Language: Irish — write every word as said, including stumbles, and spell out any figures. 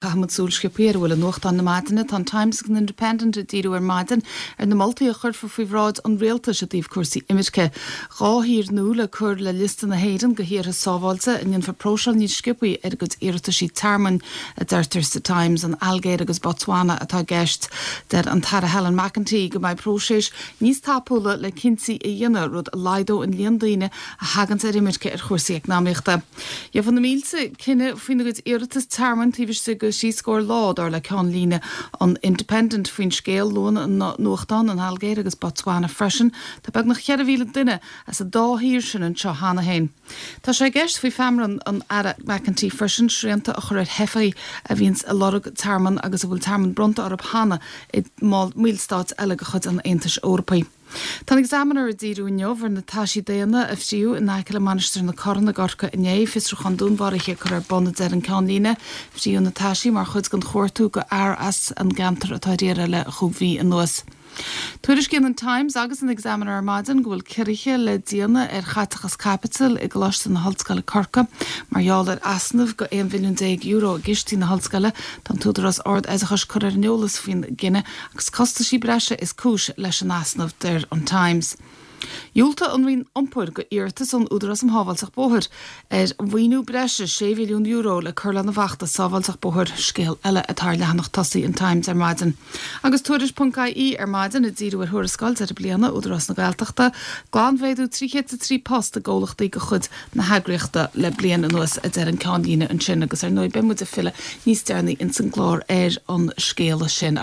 Caithfimid súil sciobtha ar a bhfuil i nuachtáin na maidine tá an Times agus an Independent ag díriú ar maidin ar na moltaí a chuirfear faoi bhráid an rialtais i dtaobh cúrsaí imirce. Dhá thír nua le cur le liosta na hÉireann de thíortha sábháilte a ndéanfar próiseáil níos sciobtha ar a gcuid iarrataisí tearmainn a deirtear sa Times an Ailgéir agus Botswana atá i gceist. Deir an tAire Helen McEntee go mbeidh próiseas níos tapúla le cinntí a dhéanamh rud a laghdódh an líon daoine a thagann ar imirce ar chúrsaí eacnamaíochta. Gheobhaidh na mílte cinneadh faoina gcuid iarratas tearmainn taobh istigh de trí scór lá dar le ceannlíne an Independent faoin scéal luann an nuachtán an Ailgéir agus Botswana freisin, Tá beagnach ceithre mhíle duine as an dá thír sin anseo cheana féin. Tá sé i gceist faoi mheabhrán an Aire McEntee freisin srianta a chur ar theifigh a bhíonns ag lorg tearmann agus a bhfuil tearmann bronnta orthu cheana i mballstáit eile de chuid an Aontais Eorpaigh. Tá Examiner ag díriú inniu ar na taisí daonna a fríodh in aice le Mainistir na Corann i gCorcaigh inné fiosrúchán dúnmharaithe curtha ar bun a deir an ceannlíne, fríodh na taisí mar chuid den chuartú do fhear as an gceantar atá ar iarraidh le cúig mhí anuas. Tuairiscíonn an Times agus an Examiner ar maidin go bhfuil ciorruithe le déanamh ar chaiteachas caipitil i gColáiste na hOllscoile Corcaigh mar gheall ar easnamh de aon mhilliún déag euro i gcistí na hollscoile tá an tÚdarás Ard-Oideachais curtha ar an eolas faoin gcinneadh agus costaisí breise is cúis leis an easnamh deir an Times. Dhiúltaigh an Roinn Iompair do iarratas ón Údarás um Shábháilteacht Bóthair ar mhaoiniú breise sé mhilliún euro le cur lena bhfeachtas sábháilteacht bóthair scéal eile atá ar leathanach tosaigh an Times ar maidin. Agus tuairisc.ie ar maidin ag díriú ar thuarascáil deireadh bliana Údarás na Gaeltachta, glanmhéadú trí chéad trí post i gcomhlachtaí de chuid na heagraíochta le bliain anuas a deir an ceannlíne ansin agus ar ndóigh beidh muid ag filleadh níos deireanaí ins an gclár ar an scéal sin.